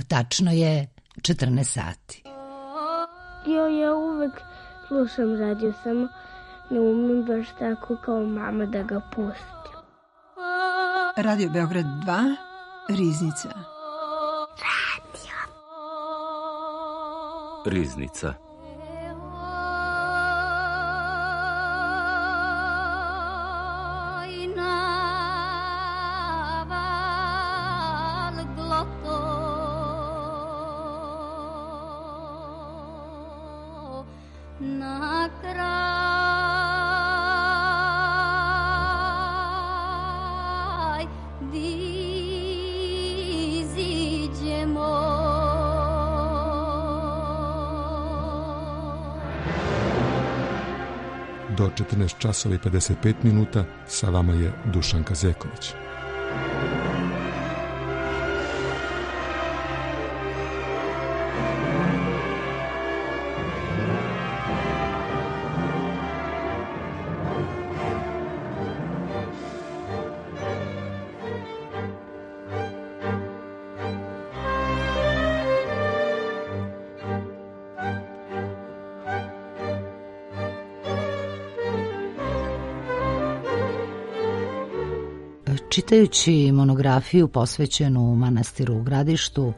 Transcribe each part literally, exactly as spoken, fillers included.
Tačno je četrnaest sati. Jo, ja uvek slušam radio, samo ne umem baš tako kao mama da ga pustim. Radio Beograd dva, Riznica. Radio. Riznica. Do četrnaest časova i pedeset pet minuta sa vama je Dušanka Zeković. Čitajući monografiju posvećenu manastiru u Gradištu,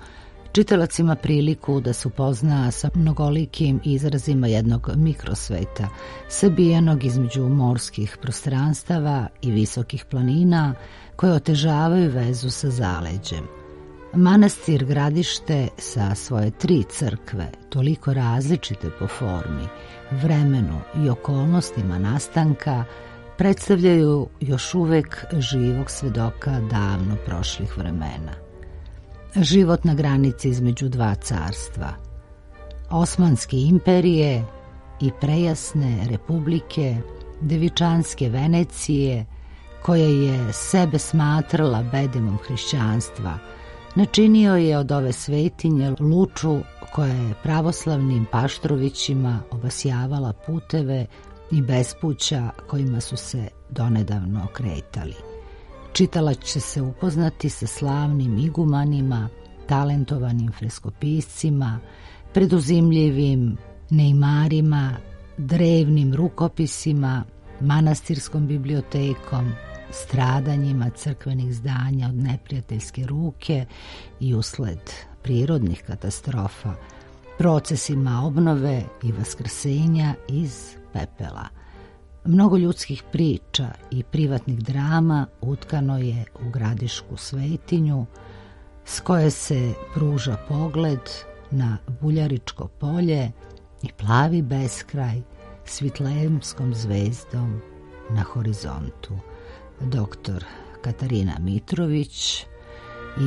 čitalac ima priliku da se upozna sa mnogolikim izrazima jednog mikrosveta, sabijenog između morskih prostranstava i visokih planina koje otežavaju vezu sa zaleđem. Manastir Gradište sa svoje tri crkve, toliko različite po formi, vremenu i okolnostima nastanka, predstavljaju još uvek živog svedoka davno prošlih vremena. Život na granici između dva carstva, Osmanske imperije i prejasne republike Devičanske Venecije, koja je sebe smatrala bedemom hrišćanstva, načinio je od ove svetinje luču koja je pravoslavnim Paštrovićima obasjavala puteve i bespuća kojima su se donedavno kretali. Čitalac će se upoznati sa slavnim igumanima, talentovanim freskopiscima, preduzimljivim nejmarima, drevnim rukopisima, manastirskom bibliotekom, stradanjima crkvenih zdanja od neprijateljske ruke i usled prirodnih katastrofa, procesima obnove i vaskrsenja iz pepela. Mnogo ljudskih priča i privatnih drama utkano je u gradišku svetinju, s koje se pruža pogled na Buljaričko polje i plavi beskraj s Vitlemskom zvezdom na horizontu. Doktor Katarina Mitrović,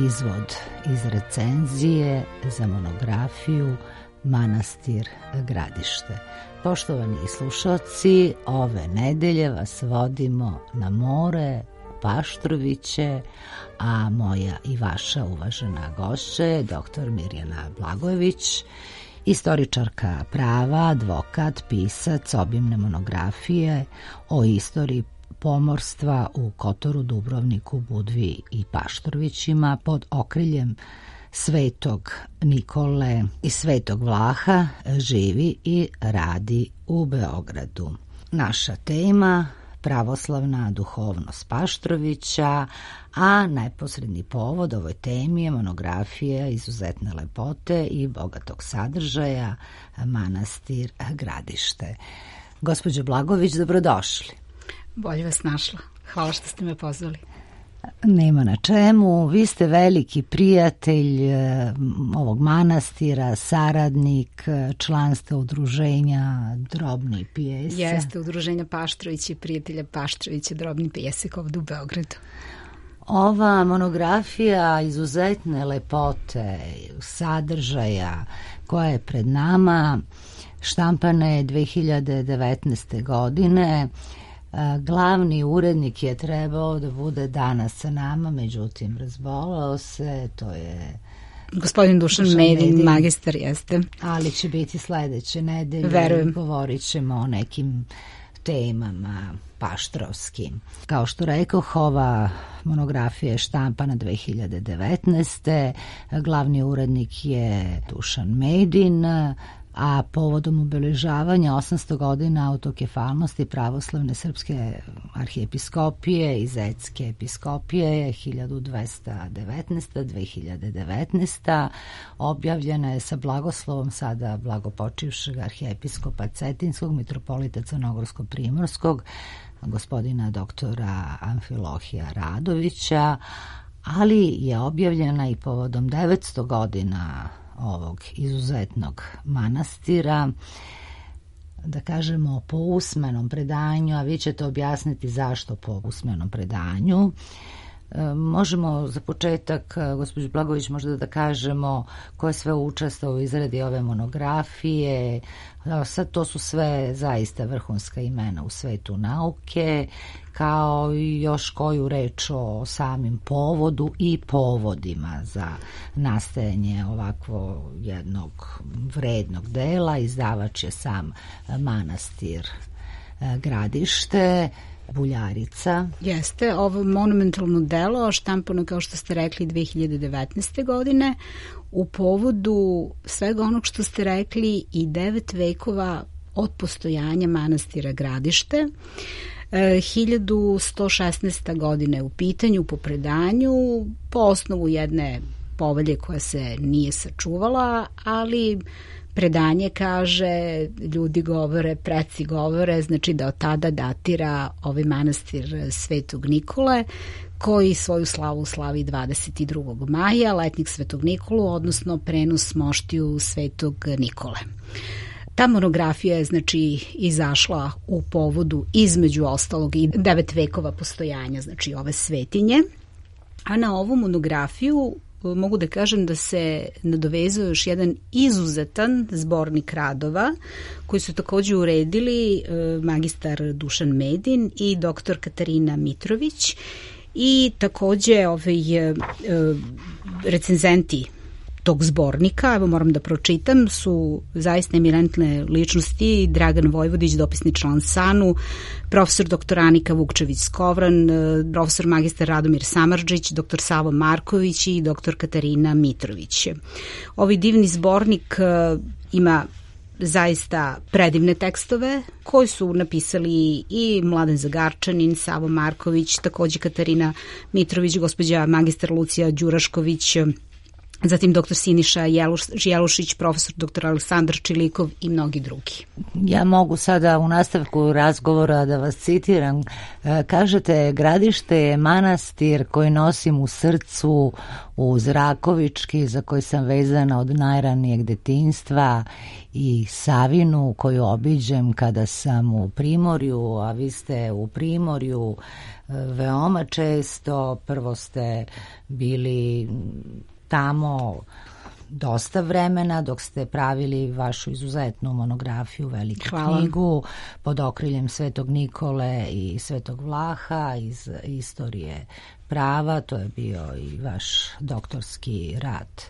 izvod iz recenzije za monografiju Manastir Gradište. Poštovani slušalci, ove nedelje vas vodimo na more, Paštroviće, a moja i vaša uvažena gošća je doktor Mirjana Blagojević, istoričarka prava, advokat, pisac obimne monografije o istoriji pomorstva u Kotoru, Dubrovniku, Budvi i Paštrovićima pod okriljem Svetog Nikole i Svetog Vlaha, živi i radi u Beogradu. Naša tema pravoslavna duhovnost Paštrovića, a neposredni povod ovoj temi je monografija izuzetne lepote i bogatog sadržaja Manastir Gradište. Gospođo Blagović, dobrodošli. Bolje vas našla. Hvala što ste me pozvali. Nema na čemu. Vi ste veliki prijatelj ovog manastira, saradnik, članstva udruženja Drobni pjesak. Jeste, udruženja Paštrović i prijatelja Paštrovića Drobni pjesak ovdje u Beogradu. Ova monografija izuzetne lepote, sadržaja koja je pred nama, štampana je dve hiljade devetnaeste. godine. Glavni urednik je trebao da bude danas sa nama, međutim razbolao se, to je gospodin Dušan Medin, magistar, jeste. Ali će biti sledeće nedelje. Verujem. Govorit ćemo o nekim temama Paštrovski. Kao što rekoh, ova monografija je štampana dve hiljade devetnaeste. Glavni urednik je Dušan Medin, a povodom obeležavanja osamsto godina autokefalnosti pravoslavne srpske arhijepiskopije i Zetske episkopije hiljadu dvesta devetnaesta do dve hiljade devetnaeste. objavljena je sa blagoslovom sada blagopočivšeg arhijepiskopa Cetinskog, mitropolita Crnogorsko-primorskog, gospodina doktora Amfilohija Radovića, ali je objavljena i povodom devetsto godina ovog izuzetnog manastira, da kažemo po usmenom predanju, a vi ćete objasniti zašto po usmenom predanju. Možemo za početak, gospođo Blagović, možda da kažemo ko je sve učestvovao u izradi ove monografije. Sad to su sve zaista vrhunska imena u svetu nauke, kao i još koju reč o samim povodu i povodima za nastajanje ovakvo jednog vrednog dela. Izdavač je sam manastir Gradište, Buljarica. Jeste, ovo monumentalno delo štampano, kao što ste rekli, dve hiljade devetnaeste. godine u povodu svega onog što ste rekli i devet vekova od postojanja manastira Gradište. hiljadu sto šesnaesta. godine u pitanju po predanju, po osnovu jedne povelje koja se nije sačuvala, ali predanje kaže, ljudi govore, preci govore, znači da od tada datira ovaj manastir Svetog Nikole, koji svoju slavu slavi dvadeset drugog maja, letnik Svetog Nikolu, odnosno prenos moštiju Svetog Nikole. Ta monografija je znači izašla u povodu između ostalog i devet vekova postojanja, znači ove svetinje, a na ovu monografiju mogu da kažem da se nadovezuje još jedan izuzetan zbornik radova koji su takođe uredili magistar Dušan Medin i doktor Katarina Mitrović i takođe ovaj, recenzenti tog zbornika, evo moram da pročitam, su zaista eminentne ličnosti: Dragan Vojvodić, dopisni član SANU, profesor doktor Anika Vukčević-Skovran, profesor magistar Radomir Samardžić, doktor Savo Marković i doktor Katarina Mitrović. Ovaj divni zbornik ima zaista predivne tekstove koji su napisali i Mladen Zagarčanin, Savo Marković, takođe Katarina Mitrović, gospođa magistar Lucija Đurašković, zatim doktor Siniša Jelušić, profesor doktor Aleksandar Čilikov i mnogi drugi. Ja mogu sada u nastavku razgovora da vas citiram. Kažete, Gradište je manastir koji nosim u srcu, uz Rakovički, za koji sam vezana od najranijeg detinjstva, i Savinu koju obiđem kada sam u Primorju, a vi ste u Primorju veoma često. Prvo ste bili tamo dosta vremena dok ste pravili vašu izuzetnu monografiju, veliku Hvala. knjigu pod okriljem Svetog Nikole i Svetog Vlaha iz istorije prava. To je bio i vaš doktorski rad.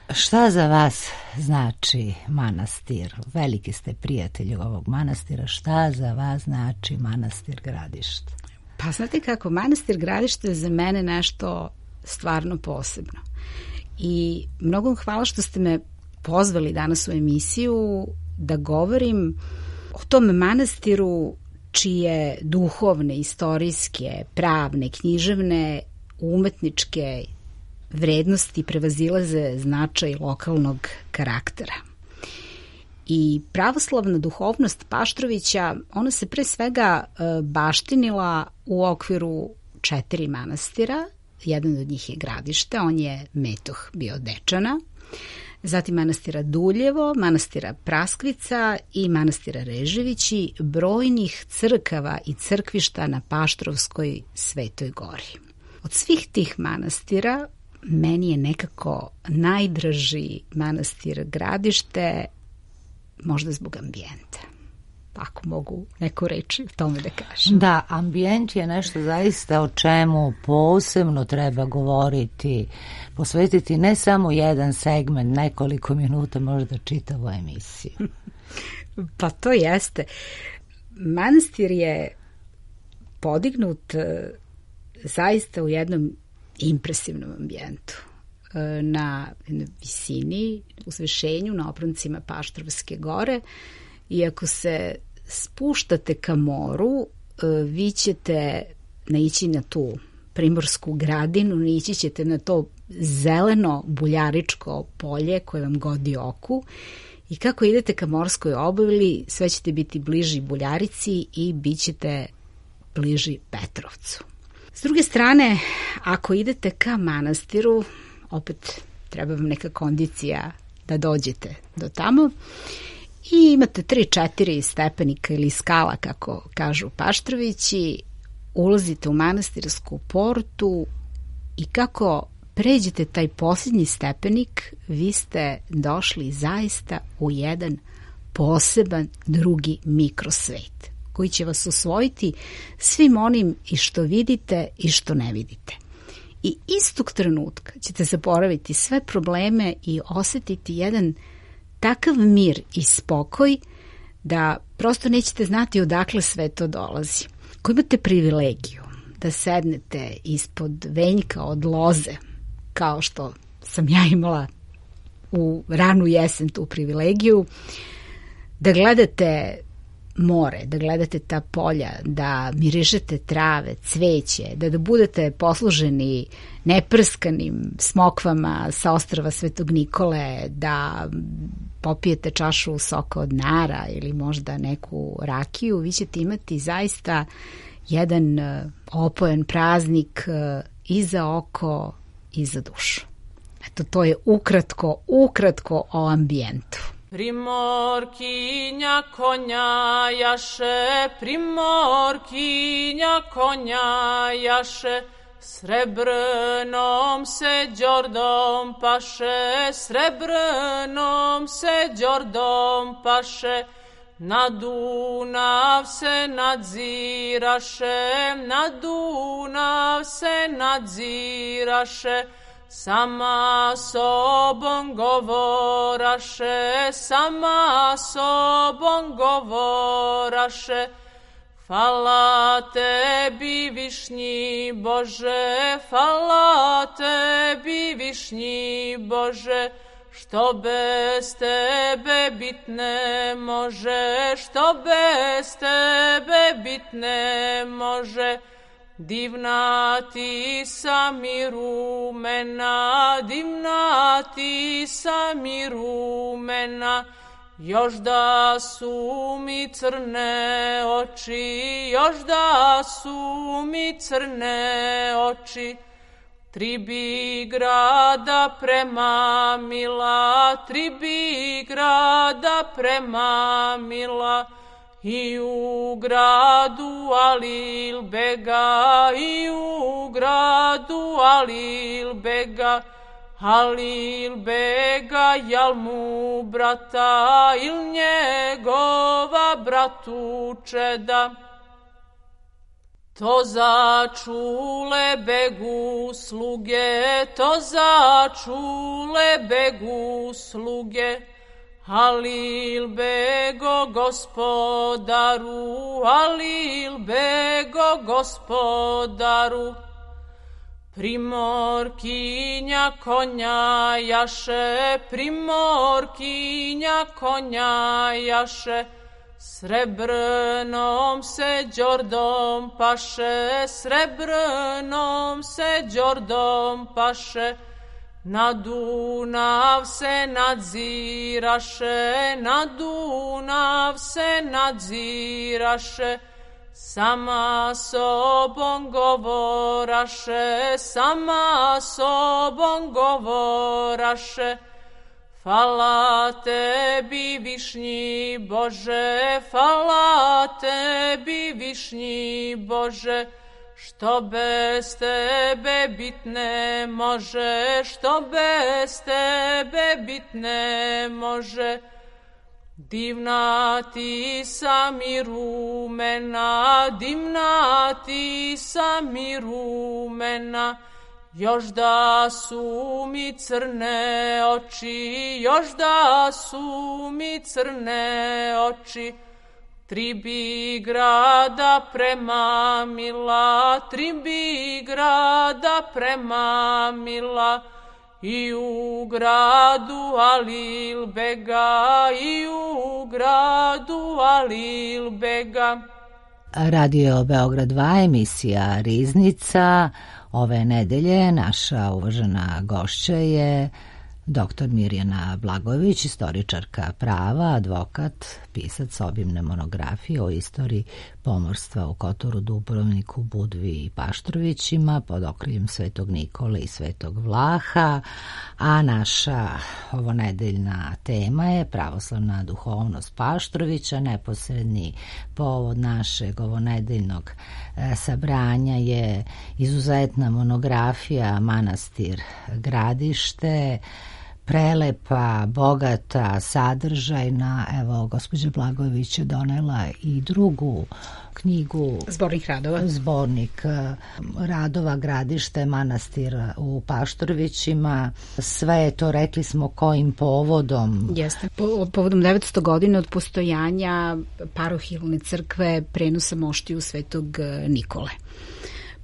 Šta za vas znači manastir? Veliki ste prijatelji ovog manastira. Šta za vas znači manastir Gradište? Pa znate kako, manastir Gradište je za mene nešto stvarno posebno. I mnogo vam hvala što ste me pozvali danas u emisiju da govorim o tom manastiru čije duhovne, istorijske, pravne, književne, umetničke vrednosti prevazilaze značaj lokalnog karaktera. I pravoslavna duhovnost Paštrovića, ona se pre svega baštinila u okviru četiri manastira. Jedan od njih je Gradište, on je metoh bio Dečana, zatim manastira Duljevo, manastira Praskvica i manastira Reževići, brojnih crkava i crkvišta na Paštrovskoj Svetoj Gori. Od svih tih manastira meni je nekako najdraži manastir Gradište, možda zbog ambijenta. Ako mogu neku reći o tome da kažem. Da, ambijent je nešto zaista o čemu posebno treba govoriti, posvetiti ne samo jedan segment, nekoliko minuta, možda čitavu emisiju. Pa to jeste. Manastir je podignut zaista u jednom impresivnom ambijentu, na visini, uzvišenju, na obroncima Paštrovske gore, i ako se spuštate ka moru, vi ćete naići na tu primorsku gradinu, naići ćete na to zeleno buljaričko polje koje vam godi oku, i kako idete ka morskoj obali, sve ćete biti bliži Buljarici i bit ćete bliži Petrovcu. S druge strane, ako idete ka manastiru, opet treba vam neka kondicija da dođete do tamo, i imate tri četiri stepenika ili skala, kako kažu Paštrovići, ulazite u manastirsku portu i kako pređete taj posljednji stepenik, vi ste došli zaista u jedan poseban drugi mikrosvet, koji će vas usvojiti svim onim i što vidite i što ne vidite. I istog trenutka ćete zaboraviti sve probleme i osetiti jedan takav mir i spokoj da prosto nećete znati odakle sve to dolazi. Ako imate privilegiju da sednete ispod venjka od loze, kao što sam ja imala u ranu jesen tu privilegiju, da gledate more, da gledate ta polja, da mirišete trave, cveće, da, da budete posluženi neprskanim smokvama sa ostrva Svetog Nikole, da popijete čašu soka od nara ili možda neku rakiju, vi ćete imati zaista jedan opojan praznik i za oko i za dušu. Eto, to je ukratko, ukratko o ambijentu. Primorkinja konja jaše, primorkinja konja jaše, srebrnom se đordom paše, srebrnom se đordom paše, na Dunav se nadziraše, na Dunav se nadziraše, sama sobom govoraše, sama sobom govoraše, hvala tebi višnji Bože, hvala tebi višnji Bože, što bez tebe bit ne može, što bez tebe bit ne može. Divna ti sam i rumena, divna ti sam i rumena, još da su mi crne oči, još da su mi crne oči. Tri bi grada prema mila, tri bi grada prema mila, i u gradu Alil bega, i u gradu Alil bega, Alil bega, jal mu brata, il njegova bratu čeda. To začule begu sluge, to začule begu sluge, Alil bego gospodaru, Alil bego gospodaru. Primorkinja konja jaše, primorkinja konja jaše, srebrnom se đordom paše, srebrnom se đordom paše, na Dunav se nadziraše, na Dunav se nadziraše, sama sobom govoraše, sama sobom govoraše, hvala tebi višnji Bože, hvala tebi višnji Bože, što bez tebe bit ne može, što bez tebe bit ne može. Divna ti sam i rumena, divna ti sam i rumena, još da su mi crne oči, još da su mi crne oči. Tri bi grada premamila, tri bi grada premamila, i u gradu Alil bega, i u gradu Alil bega. Radio Beograd dva, emisija Riznica. Ove nedelje naša uvažena gošća je doktor Mirjana Blagojević, istoričarka prava, advokat, pisac obimne monografije o istoriji pomorstva u Kotoru, Dubrovniku, Budvi i Paštrovićima pod okriljem Svetog Nikole i Svetog Vlaha, a naša ovonedeljna tema je pravoslavna duhovnost Paštrovića. Neposredni povod našeg ovonedeljnog sabranja je izuzetna monografija Manastir Gradište, prelepa, bogata, sadržajna. Evo, gospođa Blagojević je donela i drugu knjigu. Zbornik radova. Zbornik radova Gradište, manastir u Paštrovićima. Sve je to, rekli smo, kojim povodom? Jeste, po, povodom devetsto godina od postojanja parohilne crkve prenosa moštiju Svetog Nikole.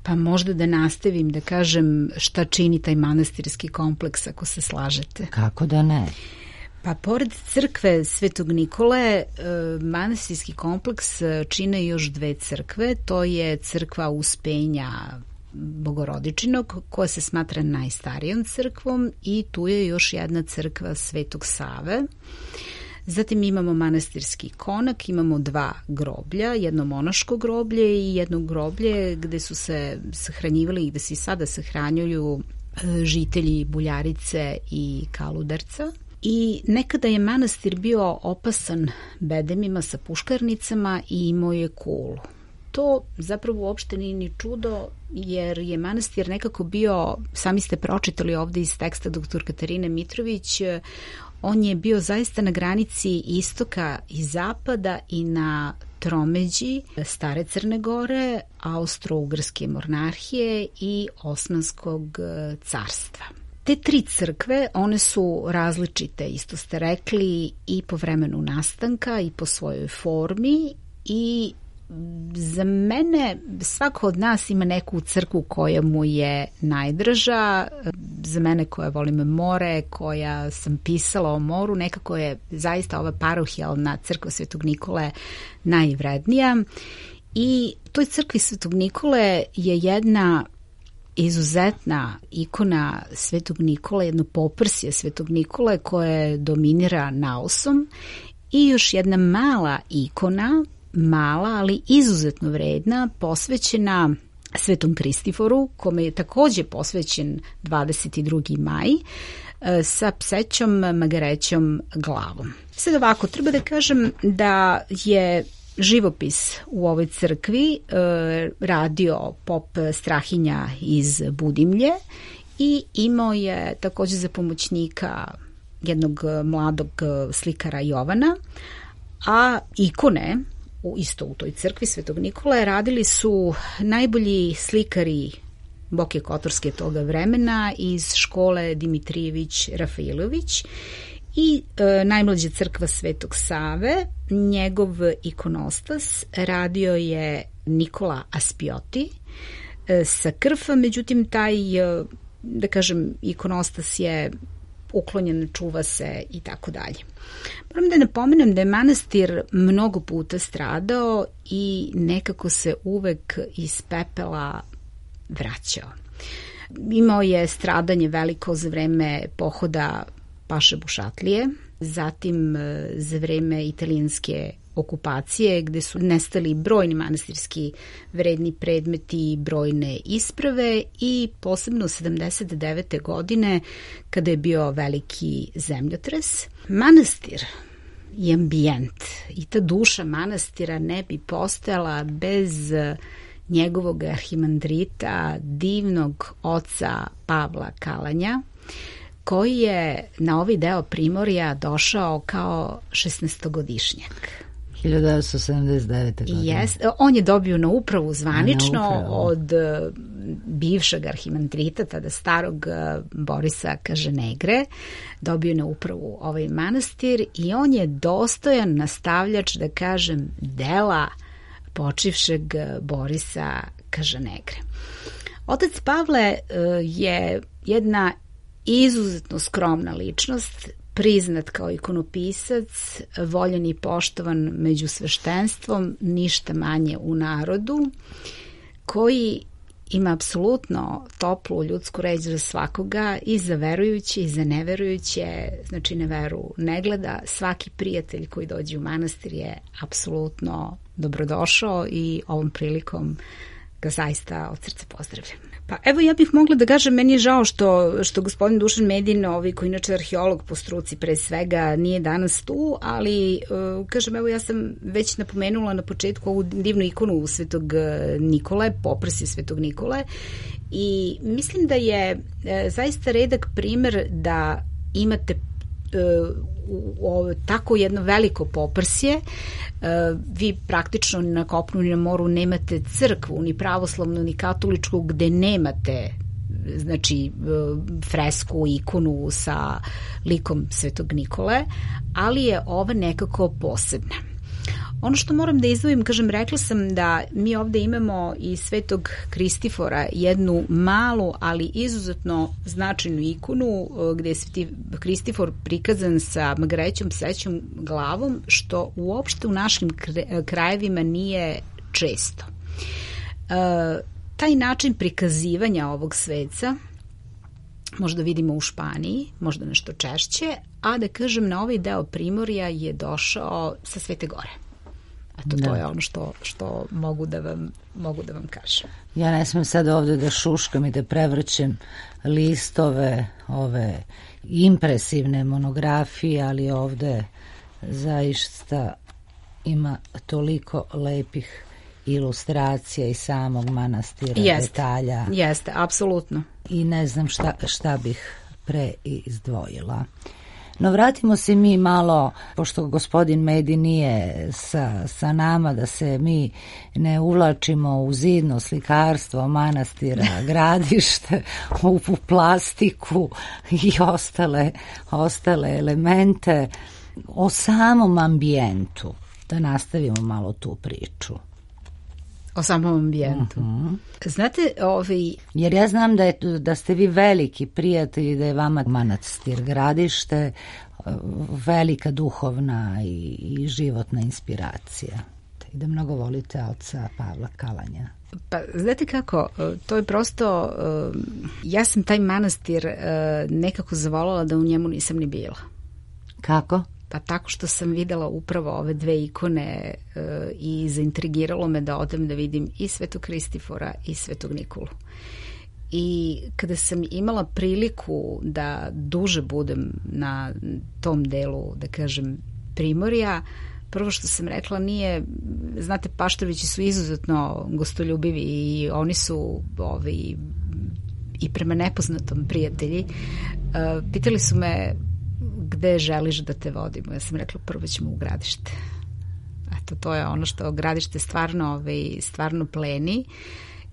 Pa možda da nastavim da kažem šta čini taj manastirski kompleks, ako se slažete. Kako da ne? Pa pored crkve Svetog Nikole, manastirski kompleks čine još dve crkve. To je crkva Uspenja Bogorodičinog, koja se smatra najstarijom crkvom, i tu je još jedna crkva Svetog Save. Zatim imamo manastirski konak, imamo dva groblja, jedno monaško groblje i jedno groblje gde su se sahranjivali i gde se i sada sahranjuju žitelji Buljarice i Kaludarca. I nekada je manastir bio opasan bedemima sa puškarnicama i imao je kulu. To zapravo uopšte nije ni čudo, jer je manastir nekako bio, sami ste pročitali ovde iz teksta doktor Katarine Mitrović, on je bio zaista na granici istoka i zapada i na tromeđi stare Crne Gore, Austro-Ugarske monarhije i Osmanskog carstva. Te tri crkve, one su različite, isto ste rekli, i po vremenu nastanka i po svojoj formi, i za mene svako od nas ima neku crkvu koja mu je najdraža. Za mene koja volim more, koja sam pisala o moru, nekako je zaista ova parohijalna crkva Svetog Nikole najvrednija. I toj crkvi Svetog Nikole je jedna izuzetna ikona Svetog Nikole, jedno poprsje Svetog Nikole koje dominira naosom, i još jedna mala ikona, mala, ali izuzetno vredna, posvećena Svetom Kristiforu, kome je takođe posvećen dvadeset drugi maj, sa psećom magarećom glavom. Sad ovako, treba da kažem da je živopis u ovoj crkvi e, radio pop Strahinja iz Budimlje i imao je takođe za pomoćnika jednog mladog slikara Jovana, a ikone u, isto u toj crkvi Svetog Nikole radili su najbolji slikari Boke Kotorske toga vremena iz škole Dimitrijević Rafailović. I e, najmlađa crkva Svetog Save, njegov ikonostas radio je Nikola Aspioti e, sa Krfa, međutim taj, e, da kažem, ikonostas je uklonjen, čuva se i tako dalje. Moram da napomenem da je manastir mnogo puta stradao i nekako se uvek iz pepela vraćao. Imao je stradanje veliko za vreme pohoda Paše Bušatlije, zatim za vreme italijanske okupacije gde su nestali brojni manastirski vredni predmeti, brojne isprave, i posebno sedamdeset devete godine kada je bio veliki zemljotres. Manastir i ambijent i ta duša manastira ne bi postojala bez njegovog arhimandrita, divnog oca Pavla Kalanja, koji je na ovaj deo Primorja došao kao šesnaestogodišnjak. hiljadu devetsto sedamdeset devete. godine. Yes, on je dobio na upravu zvanično na upravu. od bivšeg arhimandrita, tada starog Borisa Kažanegre, dobio na upravu ovaj manastir i on je dostojan nastavljač, da kažem, dela počivšeg Borisa Kažanegre. Otac Pavle je jedna izuzetno skromna ličnost, priznat kao ikonopisac, voljen i poštovan među sveštenstvom, ništa manje u narodu, koji ima apsolutno toplu ljudsku reč za svakoga, i za verujuće i za neverujuće, znači na veru ne gleda. Svaki prijatelj koji dođe u manastir je apsolutno dobrodošao i ovom prilikom ga zaista od srca pozdravljam. Pa evo, ja bih mogla da kažem, meni je žao što, što gospodin Dušan Medin, ovaj, koji inače arheolog po struci pre svega, nije danas tu, ali uh, kažem, evo, ja sam već napomenula na početku ovu divnu ikonu Svetog Nikole, poprsje Svetog Nikole, i mislim da je uh, zaista redak primer da imate o, tako jedno veliko poprsje. Vi praktično na kopnu ni na moru nemate crkvu, ni pravoslavnu, ni katoličku, gde nemate, znači, fresku, ikonu sa likom Svetog Nikole, ali je ova nekako posebna. Ono što moram da izdvojim, kažem, rekla sam da mi ovde imamo i Svetog Kristifora, jednu malu, ali izuzetno značajnu ikonu, gde je Sveti Kristifor prikazan sa magrećom psećom glavom, što uopšte u našim krajevima nije često. E, taj način prikazivanja ovog sveca možda vidimo u Španiji, možda nešto češće, a da kažem, na ovaj deo Primorja je došao sa Svete Gore. Eto, to da. je ono što, što mogu, da vam, mogu da vam kažem. Ja ne smem sad ovde da šuškam i da prevrćem listove ove impresivne monografije, ali ovde zaista ima toliko lepih ilustracija i samog manastira, jeste, detalja. Jeste, apsolutno. I ne znam šta, šta bih pre izdvojila. No vratimo se mi malo, pošto gospodin Medi nije sa, sa nama, da se mi ne uvlačimo u zidno slikarstvo manastira, gradište, u, u plastiku i ostale, ostale elemente, o samom ambijentu, da nastavimo malo tu priču. O samom ambijentu. Uh-huh. Znate, ovaj... Jer ja znam da, je, da ste vi veliki prijatelji, da je vama manastir gradište velika duhovna i, i životna inspiracija. I da mnogo volite oca Pavla Kalanja. Pa, znate kako, to je prosto, ja sam taj manastir nekako zavolala da u njemu nisam ni bila. Kako? Pa tako što sam videla upravo ove dve ikone e, i zaintrigiralo me da odem da vidim i Svetog Kristifora i Svetog Nikolu. I kada sam imala priliku da duže budem na tom delu, da kažem, Primorja, prvo što sam rekla nije, znate, Paštrovići su izuzetno gostoljubivi i oni su ovi, i prema nepoznatom prijatelji. E, pitali su me gde želiš da te vodimo. Ja sam rekla, prvo ćemo u gradište. Eto, to je ono što gradište stvarno, ovaj, stvarno pleni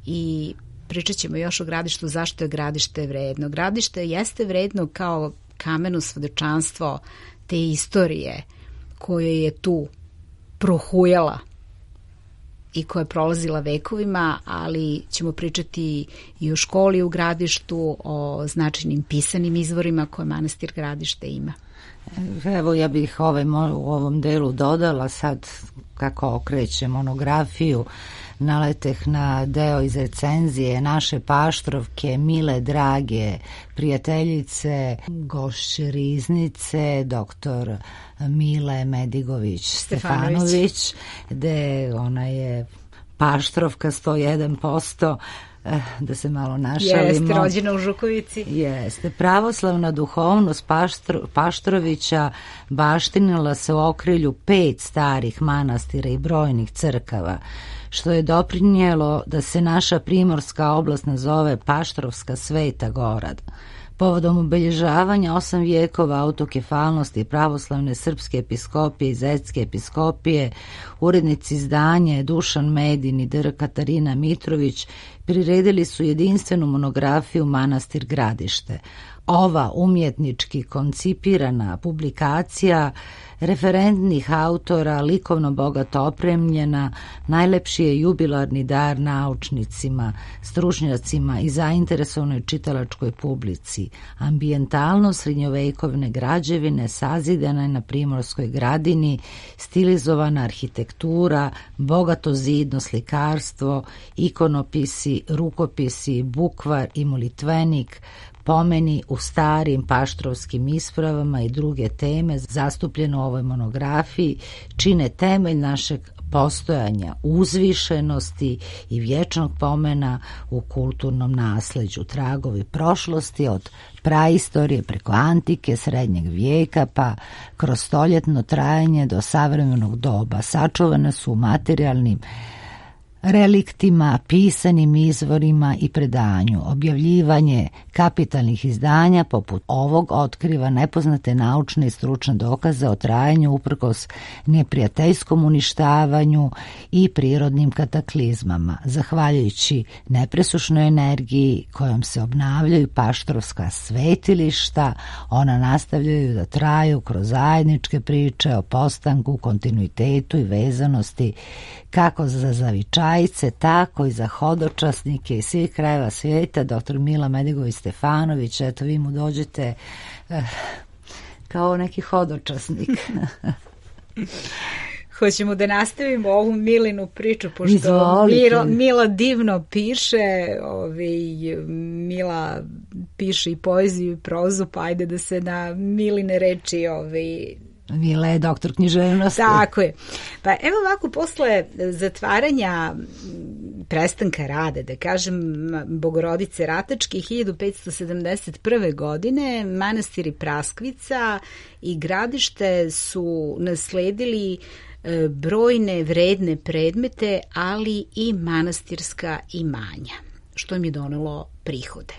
i pričat ćemo još o gradištu, zašto je gradište vredno. Gradište jeste vredno kao kameno svedočanstvo te istorije koje je tu prohujala i koja je prolazila vekovima, ali ćemo pričati i o školi u gradištu, o značajnim pisanim izvorima koje manastir gradište ima. Evo, ja bih ovaj, u ovom delu dodala sad, kako okrećem monografiju, naleteh na deo iz recenzije naše Paštrovke, mile, drage prijateljice, gošće Riznice, doktor Mile Medigović Stefanović, gde ona je Paštrovka sto jedan posto, da se malo našalimo. Jeste, rođena u Žukovici. Jeste. Pravoslavna duhovnost Paštro, Paštrovića baštinila se u okrilju pet starih manastira i brojnih crkava, što je doprinijelo da se naša primorska oblast nazove Paštrovska Sveta Gora. Povodom obilježavanja osam vijekova autokefalnosti pravoslavne srpske episkopije i zetske episkopije, urednici izdanja Dušan Medin i dr. Katarina Mitrović priredili su jedinstvenu monografiju Manastir Gradište. Ova umjetnički koncipirana publikacija referentnih autora, likovno bogato opremljena, najlepši je jubilarni dar naučnicima, stručnjacima i zainteresovanoj čitalačkoj publici. Ambijentalno srednjovekovne građevine sazidana je na Primorskoj Gradini, stilizovana arhitektura, bogato zidno slikarstvo, ikonopisi, rukopisi, bukvar i molitvenik, pomeni u starim paštrovskim ispravama i druge teme zastupljene u ovoj monografiji čine temelj našeg postojanja, uzvišenosti i vječnog pomena u kulturnom nasleđu, tragovi prošlosti od praistorije preko antike, srednjeg vijeka pa kroz stoljetno trajanje do savremenog doba. Sačuvane su u materijalnim reliktima, pisanim izvorima i predanju. Objavljivanje kapitalnih izdanja poput ovog otkriva nepoznate naučne i stručne dokaze o trajanju uprkos neprijateljskom uništavanju i prirodnim kataklizmama. Zahvaljujući nepresušnoj energiji kojom se obnavljaju paštrovska svetilišta, ona nastavljaju da traju kroz zajedničke priče o postanku, kontinuitetu i vezanosti kako za zavičajce, tako i za hodočasnike iz svih krajeva svijeta. Doktor Mila Medigović-Stefanović, eto vi mu dođete eh, kao neki hodočasnik. Hoćemo da nastavimo ovu Milinu priču, pošto Mila, Mila divno piše, ovaj, Mila piše i poeziju i prozu, pa ajde da se na Miline reči ovaj, Mila je doktor književnosti. Tako je. Pa evo ovako, posle zatvaranja prestanka rada, da kažem, Bogorodice Ratačke hiljadu petsto sedamdeset prve. godine, manastiri Praskvica i Gradište su nasledili brojne vredne predmete, ali i manastirska imanja, što im je donelo prihode.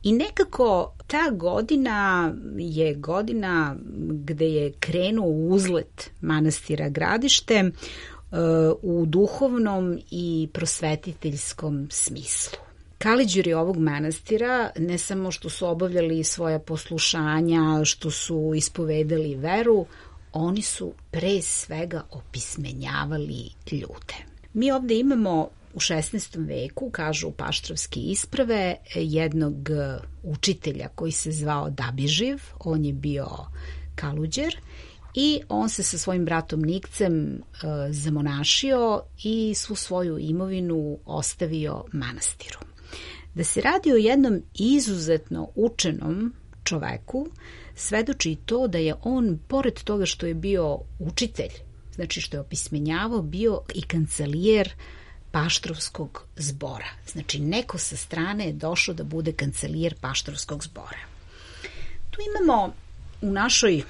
I nekako ta godina je godina gde je krenuo uzlet manastira Gradište u duhovnom i prosvetiteljskom smislu. Kaliđeri ovog manastira ne samo što su obavljali svoja poslušanja, što su ispovedali veru, oni su pre svega opismenjavali ljude. Mi ovde imamo u šesnaestom veku, kažu paštrovske isprave, jednog učitelja koji se zvao Dabiživ, on je bio kaluđer i on se sa svojim bratom Nikcem e, zamonašio i svu svoju imovinu ostavio manastiru. Da se radi o jednom izuzetno učenom čoveku, svedoči to da je on, pored toga što je bio učitelj, znači što je opismenjavao, bio i kancelijer Paštrovskog zbora. Znači, neko sa strane je došao da bude kancelijer Paštrovskog zbora. Tu imamo u našoj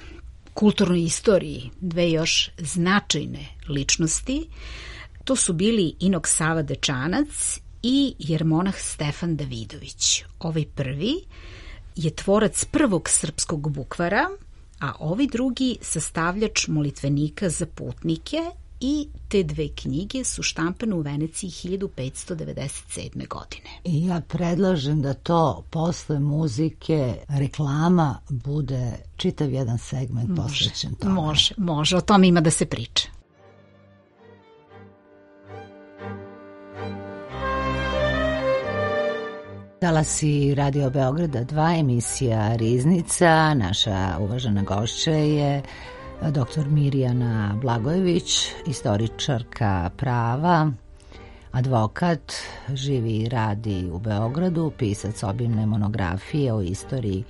kulturnoj istoriji dve još značajne ličnosti. To su bili Inok Sava Dečanac i jermonah Stefan Davidović. Ovaj prvi je tvorac prvog srpskog bukvara, a ovaj drugi sastavljač molitvenika za putnike, i te dve knjige su štampane u Veneciji hiljadu petsto devedeset sedme. godine. I ja predlažem da to posle muzike, reklama, bude čitav jedan segment posvećen tome. Može, može, o tome ima da se priča. Talasi Radio Beograda dva, emisija Riznica. Naša uvažena gošća je doktor Mirjana Blagojević, istoričarka prava, advokat, živi i radi u Beogradu, pisac obimne monografije o istoriji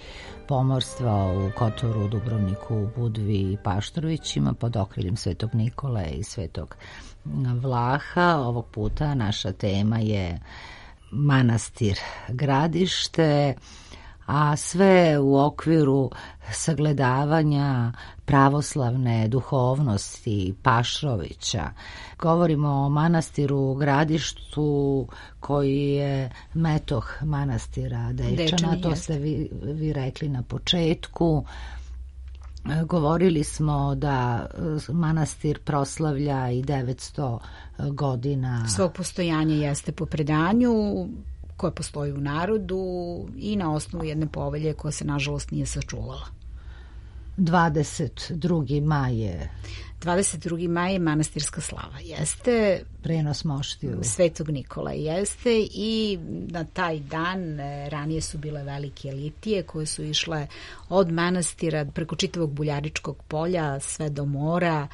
pomorstva u Kotoru, Dubrovniku, Budvi i Paštrovićima pod okriljem Svetog Nikole i Svetog Vlaha. Ovog puta naša tema je manastir Gradište, a sve u okviru sagledavanja pravoslavne duhovnosti Pašrovića. Govorimo o manastiru Gradištu koji je metoh manastira Dečana, Dečani, to ste vi, vi rekli na početku. Govorili smo da manastir proslavlja i devetsto godina svog postojanja, jeste po predanju koje postoji u narodu i na osnovu jedne povelje koja se nažalost nije sačuvala. dvadeset drugi maj je dvadeset drugi maj je manastirska slava, jeste prenos moštiju Svetog Nikola, jeste, i na taj dan ranije su bile velike litije koje su išle od manastira preko čitavog Buljaričkog polja sve do mora,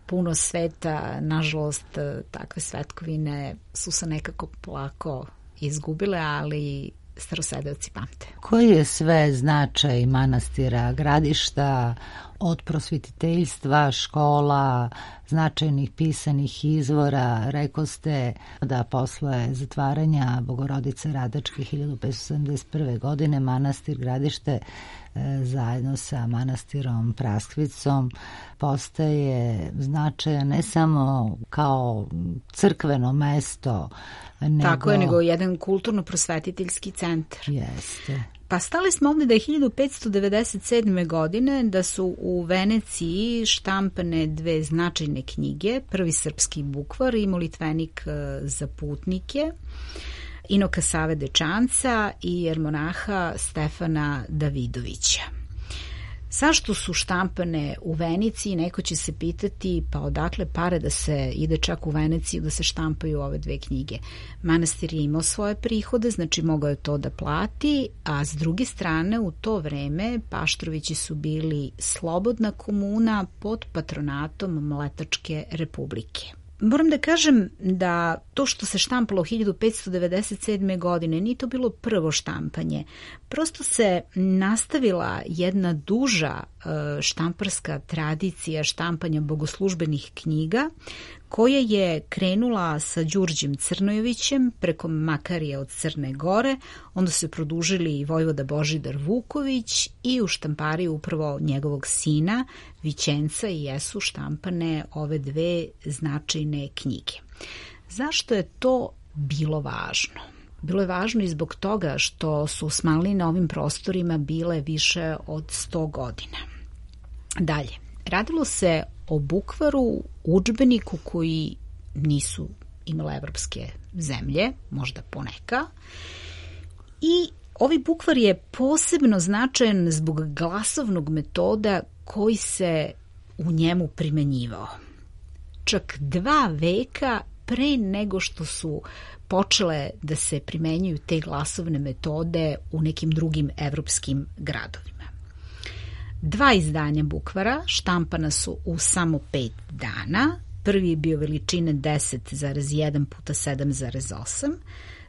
puno sveta. Nažalost, takve svetkovine su se nekako polako izgubile, ali starosedeoci pamte. Koji je sve značaj manastira Gradišta, od prosvetiteljstva, škola, značajnih pisanih izvora? Rekao ste da posle zatvaranja Bogorodice Radačke hiljadu petsto sedamdeset prve. godine manastir Gradište zajedno sa manastirom Praskvicom postaje značajan ne samo kao crkveno mesto, nego... Tako je, nego jedan kulturno-prosvetiteljski centar. Jeste. Pa stali smo ovdje da je hiljadu petsto devedeset sedme. godine da su u Veneciji štampane dve značajne knjige, prvi srpski bukvar i molitvenik za putnike Inoka Save Dečanca i jermonaha Stefana Davidovića. Zašto su štampane u Veneciji? Neko će se pitati, pa odakle pare da se ide čak u Veneciju da se štampaju ove dve knjige. Manastir je imao svoje prihode, znači mogao je to da plati, a s druge strane u to vreme Paštrovići su bili slobodna komuna pod patronatom Mletačke republike. Moram da kažem da to što se štampalo hiljadu petsto devedeset sedme. godine nije to bilo prvo štampanje. Prosto se nastavila jedna duža štamparska tradicija štampanja bogoslužbenih knjiga koja je krenula sa Đurđim Crnojevićem preko Makarija od Crne Gore, onda su produžili i vojvoda Božidar Vuković i u štampariju upravo njegovog sina Vićenca i jesu štampane ove dve značajne knjige. Zašto je to bilo važno? Bilo je važno i zbog toga što su Osmanlije na ovim prostorima bile više od sto godina. Dalje, radilo se o bukvaru, udžbeniku koji nisu imale evropske zemlje, možda poneka, i ovaj bukvar je posebno značajan zbog glasovnog metoda koji se u njemu primenjivao. Čak dva veka pre nego što su počele da se primenjuju te glasovne metode u nekim drugim evropskim gradovima. Dva izdanja bukvara štampana su u samo pet dana. Prvi je bio veličine deset zarez jedan puta sedam zarez osam,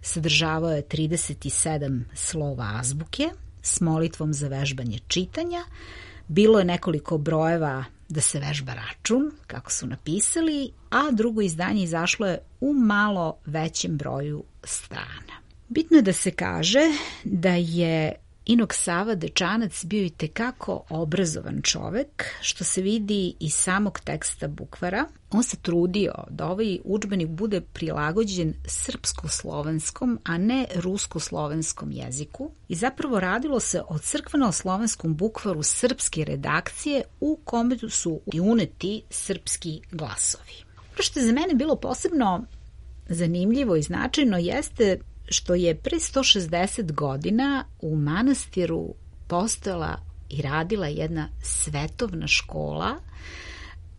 sadržavao je trideset sedam slova azbuke s molitvom za vežbanje čitanja. Bilo je nekoliko brojeva da se vežba račun, kako su napisali, a drugo izdanje izašlo je u malo većem broju strana. Bitno je da se kaže da je Inok Sava Dečanac bio i tekako obrazovan čovek, što se vidi iz samog teksta bukvara. On se trudio da ovaj udžbenik bude prilagođen srpsko-slovenskom, a ne rusko-slovenskom jeziku. I zapravo radilo se o crkveno-slovenskom bukvaru srpske redakcije u kome su uneti srpski glasovi. Ono što je za mene bilo posebno zanimljivo i značajno jeste što je pre sto šezdeset godina u manastiru postojala i radila jedna svetovna škola,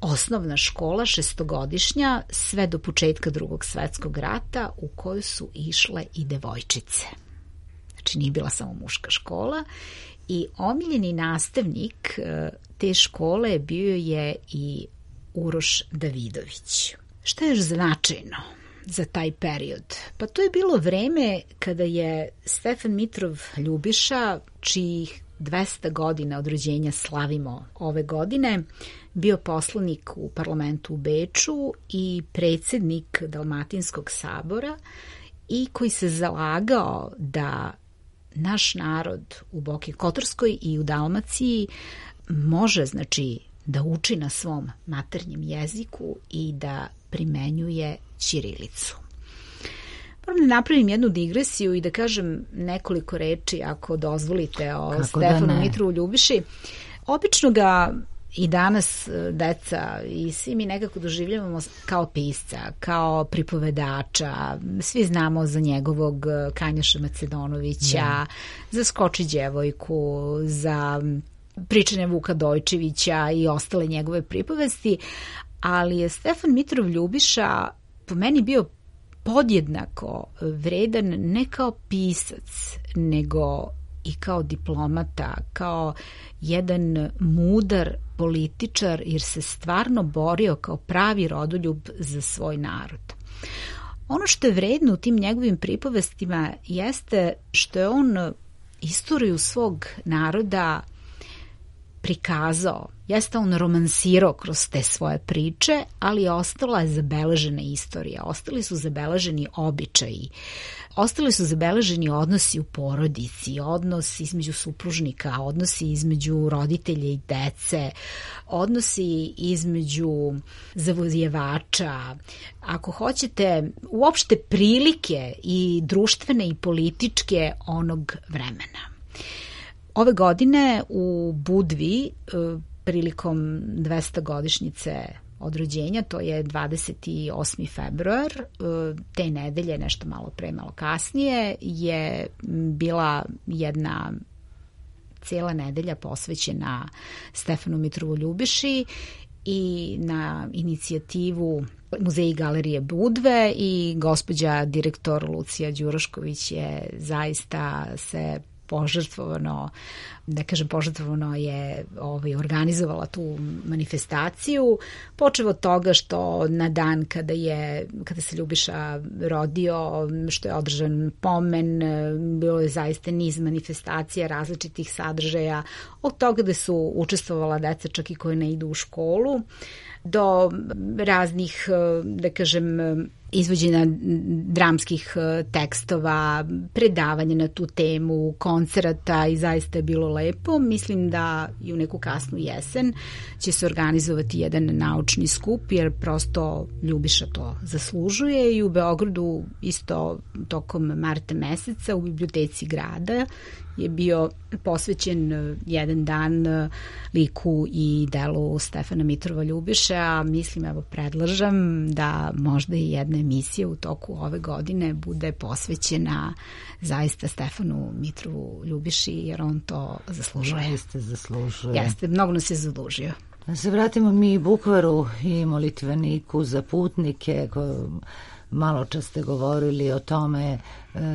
osnovna škola šestogodišnja, sve do početka Drugog svetskog rata, u kojoj su išle i devojčice. Znači nije bila samo muška škola i omiljeni nastavnik te škole bio je i Uroš Davidović. Šta je još značajno za taj period? Pa to je bilo vreme kada je Stefan Mitrov Ljubiša, čijih dvesta godina od rođenja slavimo ove godine, bio poslanik u parlamentu u Beču i predsjednik Dalmatinskog sabora i koji se zalagao da naš narod u Boki Kotorskoj i u Dalmaciji može, znači, da uči na svom maternjem jeziku i da primenjuje ćirilicu. Moram da napravim jednu digresiju i da kažem nekoliko reči, ako dozvolite, o Kako Stefanu da Mitrovu Ljubiši. Obično ga i danas deca i svi mi nekako doživljavamo kao pisca, kao pripovedača. Svi znamo za njegovog Kanjaša Macedonovića, da. Za Skoči djevojku, za pričanje Vuka Dojčevića i ostale njegove pripovesti, ali je Stefan Mitrov Ljubiša po meni bio podjednako vredan ne kao pisac, nego i kao diplomata, kao jedan mudar političar, jer se stvarno borio kao pravi rodoljub za svoj narod. Ono što je vredno u tim njegovim pripovestima jeste što je on istoriju svog naroda prikazao. Jeste on romansirao kroz te svoje priče, ali je ostala zabeležena istorija. Ostali su zabeleženi običaji. Ostali su zabeleženi odnosi u porodici, odnos između supružnika, odnosi između roditelja i dece, odnosi između zavojevača. Ako hoćete, uopšte prilike i društvene i političke onog vremena. Ove godine u Budvi, prilikom dvestogodišnjice od rođenja, to je dvadeset osmi februar, te nedelje, nešto malo pre, malo kasnije, je bila jedna cijela nedelja posvećena Stefanu Mitrovu Ljubiši i na inicijativu Muzeja i galerije Budve i gospođa direktor Lucija Đurošković je zaista se požrtvovano, da kažem požrtvovano je ovaj, organizovala tu manifestaciju, počev od toga što na dan kada je kada se Ljubiša rodio, što je održan pomen, bilo je zaista niz manifestacija različitih sadržaja, od toga da su učestvovala deca čak i koje ne idu u školu, do raznih, da kažem, izvođenja dramskih tekstova, predavanja na tu temu, koncerata i zaista je bilo lepo. Mislim da i u neku kasnu jesen će se organizovati jedan naučni skup, jer prosto Ljubiša to zaslužuje i u Beogradu isto tokom marta meseca u biblioteci grada je bio posvećen jedan dan liku i delu Stefana Mitrova Ljubiše, a mislim, evo predlažem da možda i jedna emisija u toku ove godine bude posvećena zaista Stefanu Mitrovu Ljubiši, jer on to zaslužuje. Jeste, zaslužuje. Jeste, mnogo nas je zadužio. Da se vratimo mi Bukvaru i molitveniku za putnike, ko malo čas ste govorili o tome,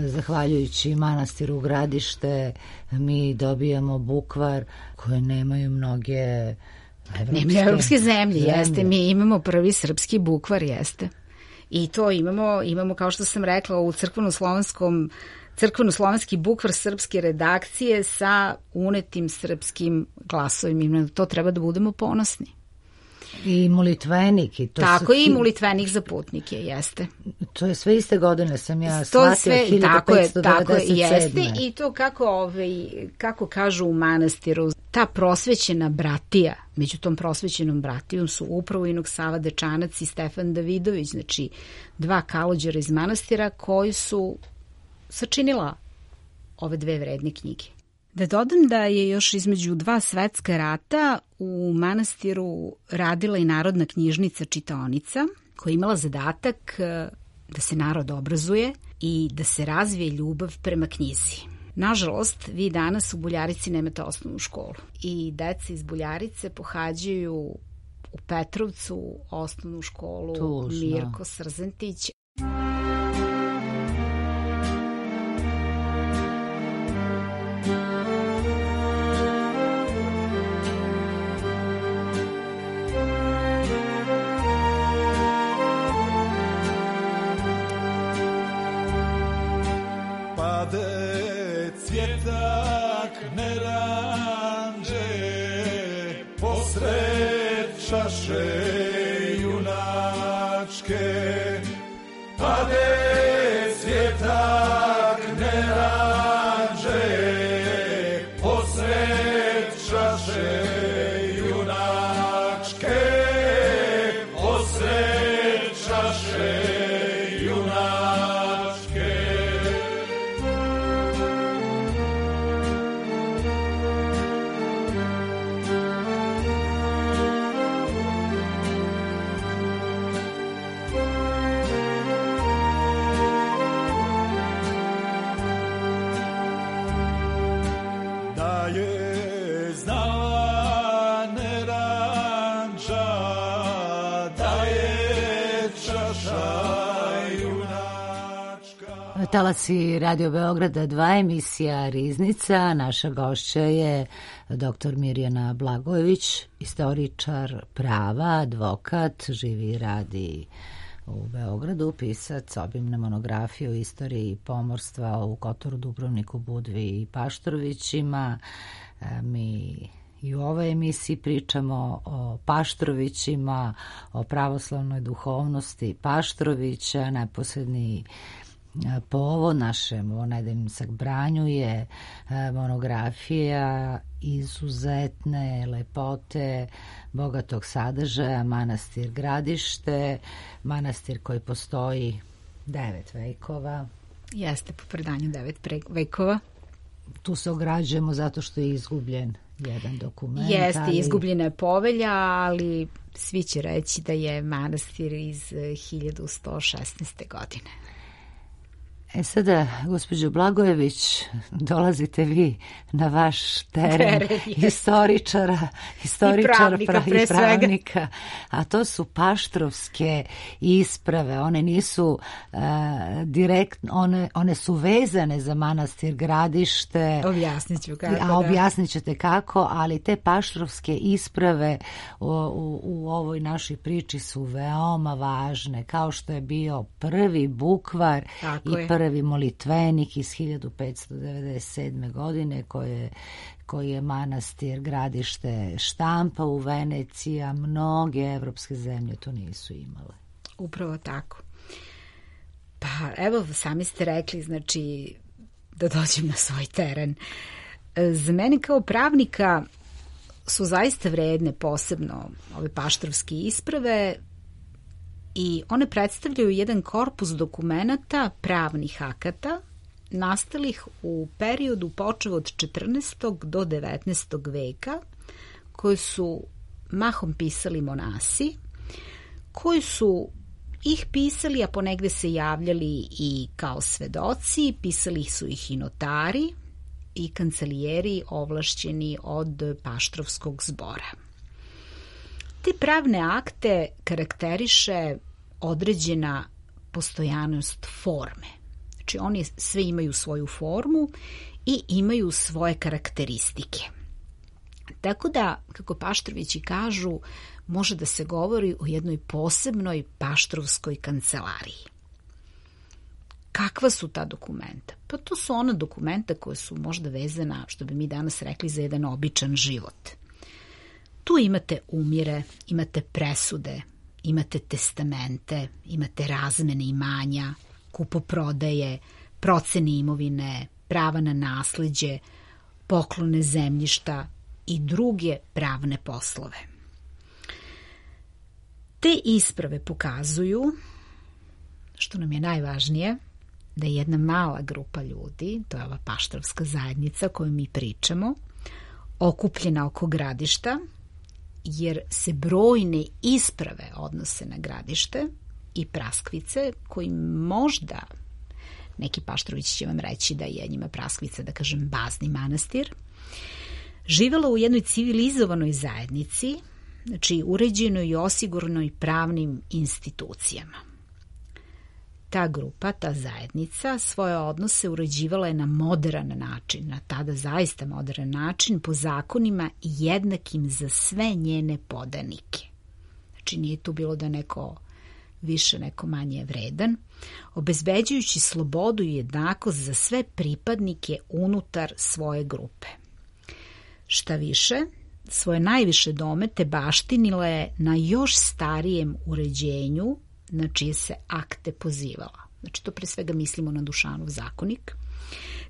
zahvaljujući manastiru Gradište mi dobijamo bukvar koje nemaju mnoge evropske, nemaju evropske zemlje, zemlje, jeste, mi imamo prvi srpski bukvar, jeste. I to imamo, imamo kao što sam rekla u crkveno-slovenskom crkveno-slovenski bukvar srpske redakcije sa unetim srpskim glasovima. To treba da budemo ponosni. I molitvenik. I to tako su... i molitvenik za putnike, jeste. To je sve iste godine, sam ja shvatila, sve, hiljadu petsto devedeset sedme. Tako je, jeste. I to kako, ovaj, kako kažu u manastiru, ta prosvećena bratija, među tom prosvećenom bratijom su upravo Inok Sava Dečanac i Stefan Davidović, znači dva kalođera iz manastira koji su sačinila ove dve vredne knjige. Da dodam da je još između dva svetska rata u manastiru radila i Narodna knjižnica čitaonica, koja je imala zadatak da se narod obrazuje i da se razvije ljubav prema knjizi. Nažalost, vi danas u Buljarici nemate osnovnu školu i deca iz Buljarice pohađaju u Petrovcu osnovnu školu Tužno. Mirko Srzentić. Čaše junačke, pade svjetak ne rađe, posred čaše junačke, posred čaše junačke. Na talasi Radio Beograda dva, emisija Riznica. Naša gošća je doktor Mirjana Blagojević, istoričar prava, advokat, živi i radi u Beogradu, pisac, obimne monografije o istoriji pomorstva u Kotoru, Dubrovniku, Budvi i Paštrovićima. Mi i u ovoj emisiji pričamo o Paštrovićima, o pravoslavnoj duhovnosti Paštrovića. Najposlednji povod našem ovom sabranju je monografija izuzetne lepote, bogatog sadržaja, manastir Gradište, manastir koji postoji devet vekova. Jeste, po predanju devet vekova. Tu se ograđujemo zato što je izgubljen jedan dokument. Jeste, ali... izgubljena je povelja, ali svi će reći da je manastir iz hiljadu sto šesnaeste. godine. E sada, gospođo Blagojević, dolazite vi na vaš teren, teren istoričara, istoričara i pravnika, pra, i pravnika, a to su paštrovske isprave. One nisu uh, direktno, one, one su vezane za manastir Gradište. Objasnit ću kako. A objasnit ćete kako, ali te paštrovske isprave u, u, u ovoj našoj priči su veoma važne, kao što je bio prvi bukvar Tako i je. prvi molitvenik iz hiljadu petsto devedeset sedme. godine koje, koji je manastir Gradište štampa u Veneciji, a mnoge evropske zemlje to nisu imale. Upravo tako. Pa evo, sami ste rekli, znači, da dođem na svoj teren. Za mene kao pravnika su zaista vredne posebno ove paštrovske isprave i one predstavljaju jedan korpus dokumenata, pravnih akata, nastalih u periodu počev od četrnaestog do devetnaestog veka, koji su mahom pisali monasi, koji su ih pisali, a ponegde se javljali i kao svedoci, pisali su ih i notari i kancelijeri ovlašćeni od paštrovskog zbora. Te pravne akte karakteriše određena postojanost forme. Znači oni sve imaju svoju formu i imaju svoje karakteristike. Tako da, kako Paštrovići kažu, može da se govori o jednoj posebnoj paštrovskoj kancelariji. Kakva su ta dokumenta? Pa to su ona dokumenta koja su možda vezana, što bi mi danas rekli, za jedan običan život. Tu imate umire, imate presude, imate testamente, imate razmene imanja, kupoprodaje, procene imovine, prava na nasleđe, poklone zemljišta i druge pravne poslove. Te isprave pokazuju, što nam je najvažnije, da je jedna mala grupa ljudi, to je ova paštrovska zajednica koju mi pričamo, okupljena oko Gradišta, jer se brojne isprave odnose na Gradište i Praskvice, koji možda, neki Paštrovići će vam reći da je njima Praskvica, da kažem, bazni manastir, živela u jednoj civilizovanoj zajednici, znači uređenoj i osiguranoj pravnim institucijama. Ta grupa, ta zajednica, svoje odnose uređivala je na modern način, na tada zaista modern način, po zakonima jednakim za sve njene podanike. Znači nije tu bilo da neko više, neko manje vredan, obezbeđujući slobodu i jednakost za sve pripadnike unutar svoje grupe. Šta više, svoje najviše domete baštinila je na još starijem uređenju na čije se akte pozivala. Znači to pre svega mislimo na Dušanov zakonik,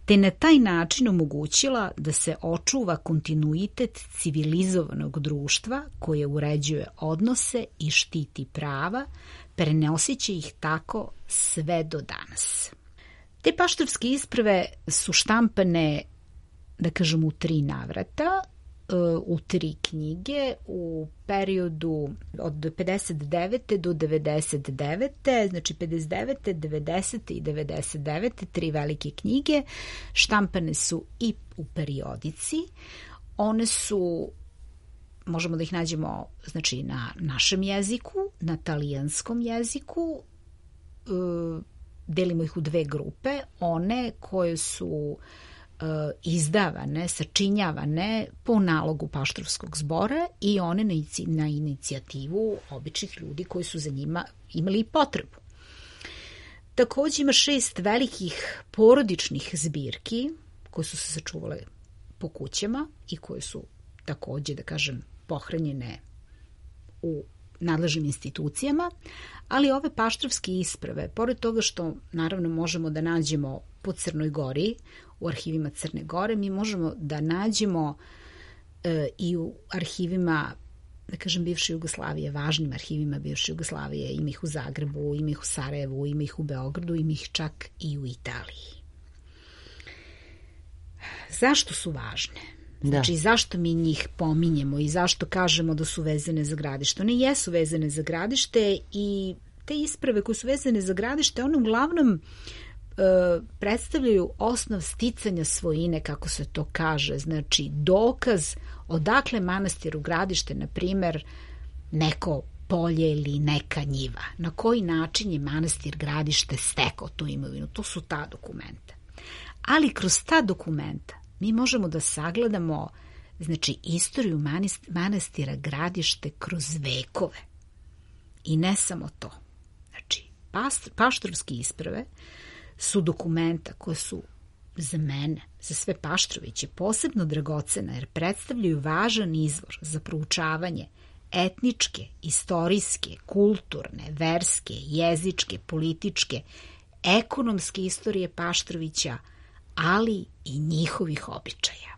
te na taj način omogućila da se očuva kontinuitet civilizovanog društva koje uređuje odnose i štiti prava, prenoseći ih tako sve do danas. Te paštrovske isprave su štampane, da kažem, u tri navrata, u tri knjige u periodu od pedeset devete do devedeset devete, znači pedeset devete, devedesete i devedeset devete, tri velike knjige, štampane su i u periodici. One su, možemo da ih nađemo, znači, na našem jeziku, na talijanskom jeziku, delimo ih u dve grupe, one koje su izdavane, sačinjavane po nalogu Paštrovskog zbora i one na, na inicijativu običnih ljudi koji su za njima imali potrebu. Takođe ima šest velikih porodičnih zbirki koje su se sačuvale po kućama i koje su takođe, da kažem, pohranjene u nadležnim institucijama, ali ove paštrovske isprave, pored toga što naravno možemo da nađemo po Crnoj Gori, u arhivima Crne Gore, mi možemo da nađemo e, i u arhivima, da kažem, bivše Jugoslavije, važnim arhivima bivše Jugoslavije, ima ih u Zagrebu, ima ih u Sarajevu, ima ih u Beogradu, ima ih čak i u Italiji. Zašto su važne? Znači, da. Zašto mi njih pominjemo i zašto kažemo da su vezane za gradište? One jesu vezane za gradište i te isprave koje su vezane za gradište, one uglavnom predstavljaju osnov sticanja svojine, kako se to kaže, znači dokaz odakle manastiru Gradište, na primer, neko polje ili neka njiva. Na koji način je manastir Gradište stekao tu imovinu? To su ta dokumenta. Ali kroz ta dokumenta mi možemo da sagledamo, znači, istoriju manastira Gradište kroz vekove. I ne samo to. Znači, paštrovske isprave su dokumenta koje su za mene, za sve Paštroviće, posebno dragocena jer predstavljaju važan izvor za proučavanje etničke, istorijske, kulturne, verske, jezičke, političke, ekonomske istorije Paštrovića, ali i njihovih običaja.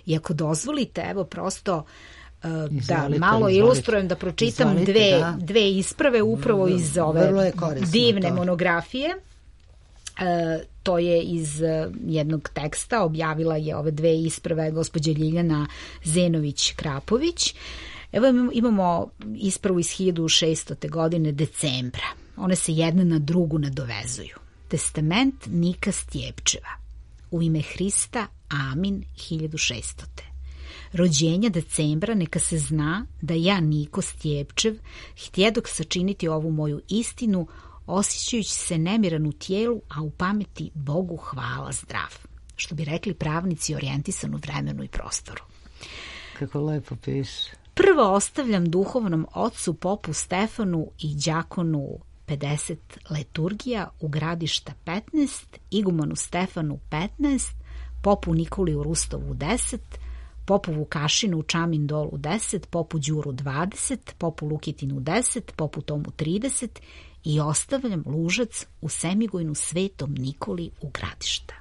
I ako dozvolite, evo prosto uh, da malo izvolite, ilustrujem, da pročitam izvolite, dve, da. dve isprave upravo vrlo, iz ove divne to. monografije. E, to je iz jednog teksta, objavila je ove dve isprave gospođa Ljiljana Zenović-Krapović. Evo imamo ispravu iz hiljadu šeststote godine decembra. One se jedna na drugu nadovezuju. Testament Nika Stjepčeva. U ime Hrista, amin, hiljadu šeststote. Rođenja decembra neka se zna da ja, Niko Stjepčev, htjedok sačiniti ovu moju istinu, osjećajući se nemiran u tijelu, a u pameti Bogu hvala zdrav. Što bi rekli pravnici, orijentisan u vremenu i prostoru. Kako lepo piše. Prvo ostavljam duhovnom ocu popu Stefanu i đakonu pedeset liturgija u Gradišta petnaest, igumanu Stefanu petnaest, popu Nikoli u Rustovu deset, popu Vukašinu u Čamin dolu deset, popu Đuru dvadeset, popu Lukitinu deset, popu Tomu trideset i ostavljam Lužac u Semigojnu Svetom Nikoli u Gradišta.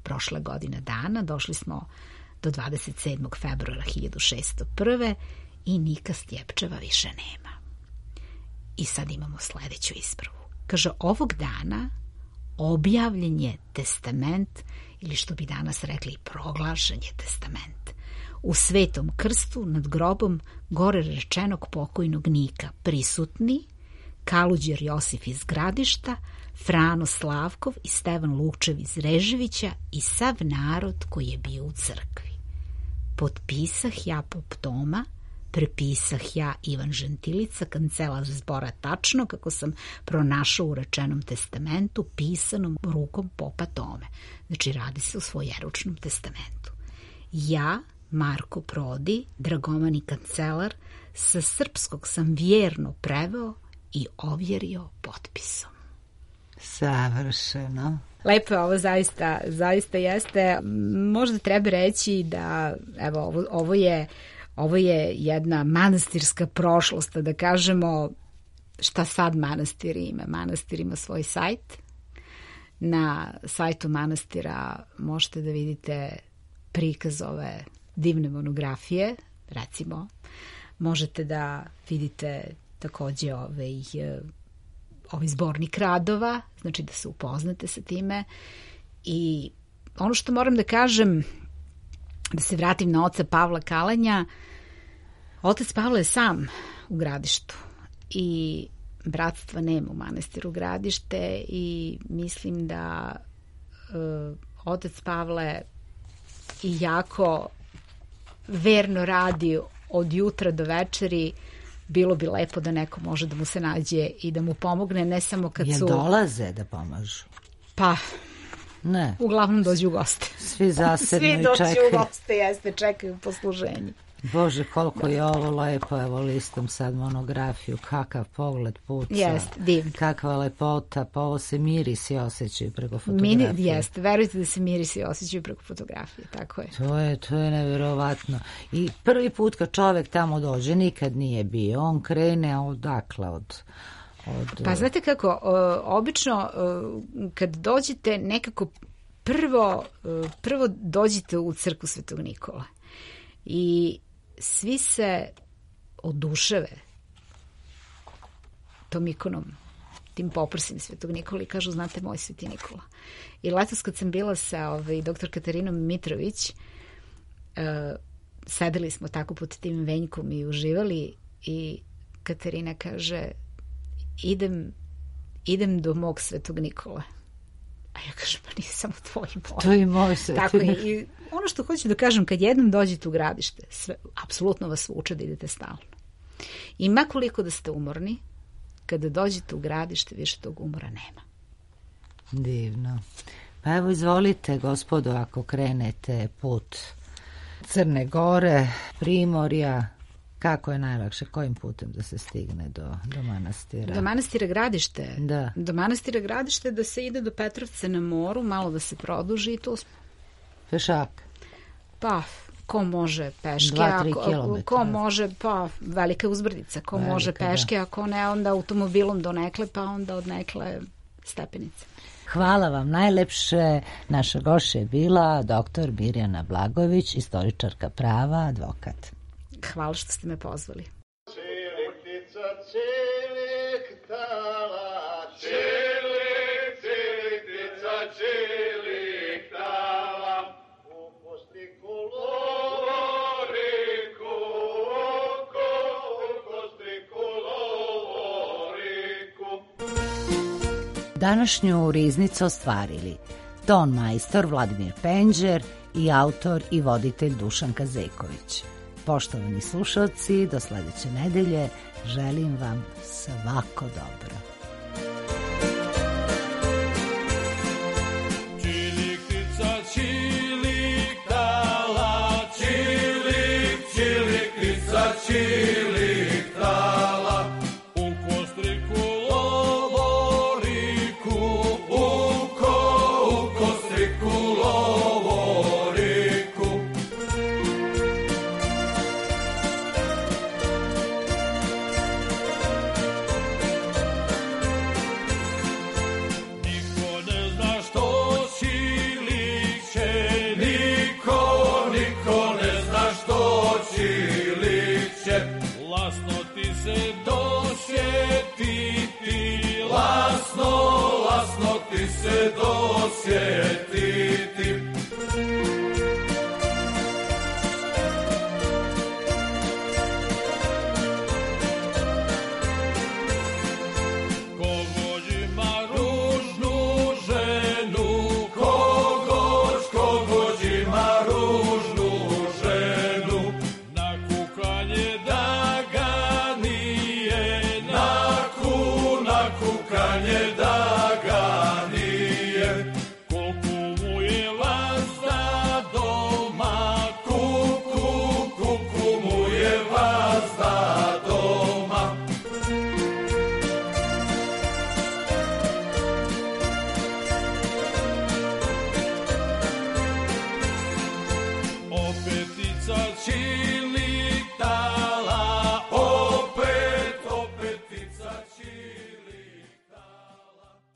Prošle godine dana došli smo do dvadeset sedmog februara hiljadu šeststo prve. i Nika Stjepčeva više nema. I sad imamo sledeću ispravu. Kaže, ovog dana objavljen je testament, ili što bi danas rekli, proglašen je testament, u Svetom krstu nad grobom gore rečenog pokojnog Nika, prisutni Kaluđer Josif iz Gradišta, Frano Slavkov i Stevan Lukčev iz Reževića i sav narod koji je bio u crkvi. Potpisah ja pop Toma, prepisah ja Ivan Žentilica, kancelar zbora, tačno kako sam pronašao u rečenom testamentu pisanom rukom popa Tome. Znači, radi se o svojeručnom testamentu. Ja, Marko Prodi, dragomani kancelar, sa srpskog sam vjerno preveo i ovjerio potpisom. Savršeno. Lepo je ovo, zaista, zaista jeste. Možda treba reći da, evo, ovo, ovo je ovo je jedna manastirska prošlost, da kažemo šta sad manastir ima. Manastir ima svoj sajt. Na sajtu manastira možete da vidite prikaz ove divne monografije, recimo. Možete da vidite takođe ovaj, ovaj zbornik radova, znači da se upoznate sa time. I ono što moram da kažem, da se vratim na oca Pavla Kalanja, otac Pavle je sam u Gradištu i bratstva nema u manastiru Gradište i mislim da uh, otac Pavle jako verno radi od jutra do večeri bilo bi lepo da neko može da mu se nađe i da mu pomogne, ne samo kad Jel su... dolaze da pomažu? Pa, ne. Uglavnom dođu u goste. Svi zasebno i Svi čekaju. dođu u goste, jeste, čekaju posluženje. Bože, koliko je ovo lepo, evo listom sad monografiju, kakav pogled puca. Jeste, divno. Kakva lepota, pa ovo se mirisi osjećaju preko fotografije. Mini, jeste, verujte da se mirisi osjećaju preko fotografije, tako je. To je, to je nevjerovatno. I prvi put kad čovek tamo dođe, nikad nije bio, on krene odakle, od... od Pa znate kako, o, obično o, kad dođete nekako prvo, o, prvo dođete u crkvu Svetog Nikola i svi se oduševe tom ikonom, tim poprsim Svetog Nikola i kažu, znate, moj Sveti Nikola. I letos kad sam bila sa ovaj, doktor Katarinom Mitrović, uh, sedeli smo tako pod tim venjkom i uživali i Katarina kaže, idem, idem do mog Svetog Nikola. A ja kažem, pa nije samo tvoj moj. To je moj Sveti. Tako je. I ono što hoću da kažem, kad jednom dođete u gradište, sve, apsolutno vas uče da idete stalno. I makoliko da ste umorni, kada dođete u gradište, više tog umora nema. Divno. Pa evo, izvolite, gospodo, ako krenete put Crne Gore, Primorja, kako je najlakše, kojim putem da se stigne do, do manastira? Do manastira Gradište. Da. Do manastira Gradište da se ide do Petrovca na moru, malo da se produži i to smo. Pešak? Pa, ko može peške, Dva, tri a ko, kilometra. ko može, pa velika uzbrdica, ko Velika, može peške, da. ako ne, onda automobilom do nekle, pa onda od nekle stepenice. Hvala vam najlepše. Naša gošća je bila doktor Mirjana Blagojević, istoričarka prava, advokat. Hvala što ste me pozvali. Čeliktica, čeliktala, čelik, čeliktica, čeliktala, u kostriku lovoriku, oko, u kostriku lovoriku. Današnju riznicu ostvarili ton majstor Vladimir Penđer i autor i voditelj Dušan Kazejković. Poštovani slušalci, do sledeće nedelje želim vam svako dobro. Čiliktica, čiliktala, čilik, čiliktica, čiliktala, u kostriku lovoriku, uko, u kostriku lovoriku. Niko ne zna što čiliće, niko, niko ne zna što čiliće. Lasno ti se dosjetiti, lasno, lasno ti se dosjetiti. Kogođ ima ružnu ženu, kogođ, kogođ ima ružnu ženu, na kukanje da ga nije, na ku, na kukanje da ga nije. Koliko mu je vazda doma, kuku, kuku mu je vazda doma. Opetica čili